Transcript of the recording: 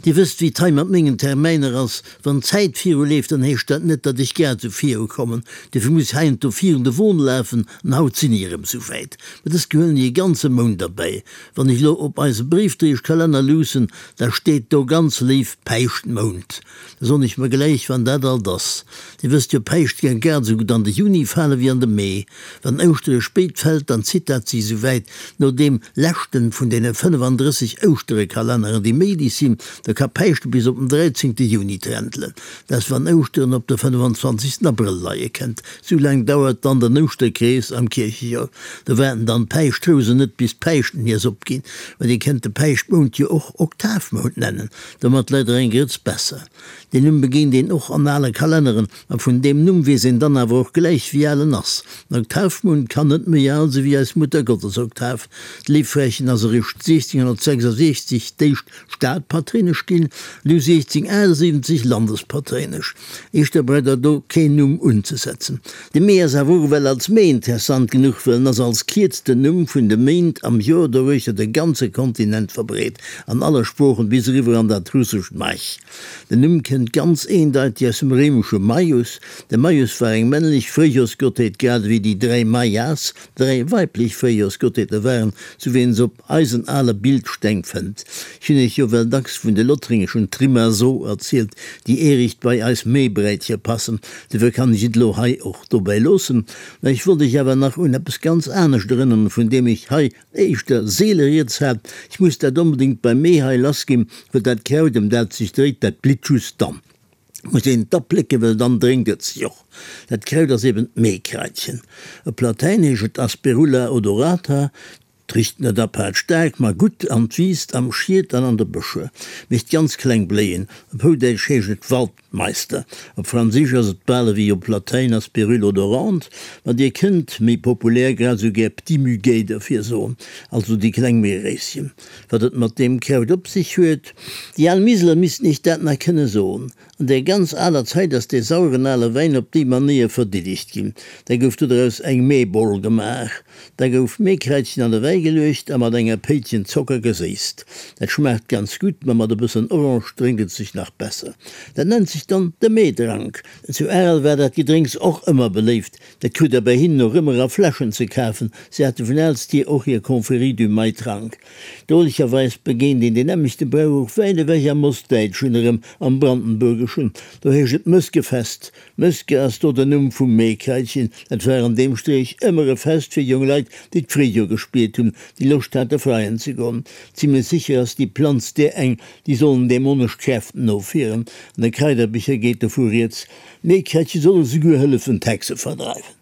Dir wësst, wéi et hei mat mengen Termäiner ass. Wann d'Zäit viruleeft, dann heescht dat net, datt ech grad esou virukommen. Dofir muss ech heiansdo virun de Won lafen, an haut sinn ech erëm esou wäit. Mä dës gehuelen ech e ganze Mount erbäi. Wann ech elo op eise Bréifdréieschkalenner luussen, da steet do ganz léif Päischtmount. Da soen ech mer gläich, wann dat alt ass. Dir wësst jo, Päischt ka grad esou gutt an de Juni fale wéi an de Mee. Wann Ouschtere spéit fält, dann zitt dat sech esou wäit no deem leschten vun deene 35 Ouschterekalenneren, déi méiglech sinn. Da ka Päischte bis op den 13 Juni trentelen. Dat ass wann Ouschteren op de 25 Abrëll leie kënnt. Sou laang dauert dann den Ouschterkrees am Kierchejoer. Do waarden dann d'Päischtrousen net bis d'Päischten nees opginn. Mä dir kënnt de Päischtmount jo och Oktavmount nennen, domat läit der eng Grëtz besser. Deen Numm begéint een och an ale Kalenneren, a vun deem Numm weess een dann awer och gläich, wéi al en ass. Den Oktavmount kann net méi al si wéi eis Muttergottesoktav. D'Léiffrächen ass eréischt 1666 d'éischt Stadpatréinesch ginn, du 1678 Landespatréinesch. Éischter braucht der do keen Numm unzesetzen. De Mee ass awer och ewell als Mee interessant genuch, well en ass als kierzten Numm vun de Méint am Joer doruechter de ganze Kontinent verbreet, an alle Sproochen bis eriwwer an dat russescht Maj. Den Numm kënnt ganz eendeiteg aus dem réimesche Maius. De Maius war eng männlech Fréijorsgottheet, grad ewéi déi dräi Maias dräi weiblech Fréijorsgottheete waren, sou wéi een se op eisen ale Bildsteng fënnt. Ech hunn iech jo well dacks vun de lothringeschen Trimaso erzielt, déi eericht bei eis Méibräitcher passen, dofir kann ech et elo hei och dobäi loossen. Mä ech wollt iech awer nach un eppes ganz anescht erënneren, vun deem ech hei éischter seele rieds hat. Ech muss dat onbedéngt beim Mee hei lassginn, well dat Kraut, ëm dat et sech dréit, dat blitt just dann. Muss een et da plécken, well dann drénkt et sech och. Dat Kraut ass eben d'Meekraitchen. Op Latäin heescht et Asperula odorata. 't richt net apaart staark, ma gutt an 't wiisst am Schied an an de Bëscher. Mécht ganz kleng Bléien. Op Houdäitsch heescht et Waldmeister. Op Franséisch ass et bal ewéi op Latäin Aspérule odorante, ma dir kënnt, méi populär, grad esou gär Petit Muguet derfir soen, also déi kleng Meeréischen. Wat et mat deem Kraut op sech huet? Déi al Miseler missten iech dat nach kënne soen. An där ganz aler Zäit ass dee saueren ale Wäin op déi Manéier verdiddegt ginn. Da gouf dodraus eng Meeboll gemaach. Da gouf Meekräizchen an de Wäi geluecht a mat enger Péitchen Zocker geséisst. Dat schmaacht ganz gutt, ma mat e bëssen Orange drénkt et sech nach besser. Dat nennt sech dann de Meedrank. Zu Arel war dat Gedrénks och ëmmer beléift. Dat krut der bei hinnen och ëmmer a Fläschen ze kafen. Si hate vun Aalstier och hir Confrérie du Maitrank. Drolecherweis begéint een deen nämmlechte Brauch och wäit ewech am Ostdäitschen, erëm am Brandenburgeschen. Do heescht et Mëskefest. Mëske ass do den Numm vum Meekraitchen. Dat war an deem Streech ëmmer e Fest fir jonk Leit, déi d'Fréijoer gespiert hunn, déi Loscht hate freien ze goen. Zimlech sécher ass déi Planz där eng, déi sollen dämonesch Kräften ofwieren. An de Kraiderbicher geet dovu rieds, D'Meekraitche solle souguer hëllefen d'Hexe verdreiwen.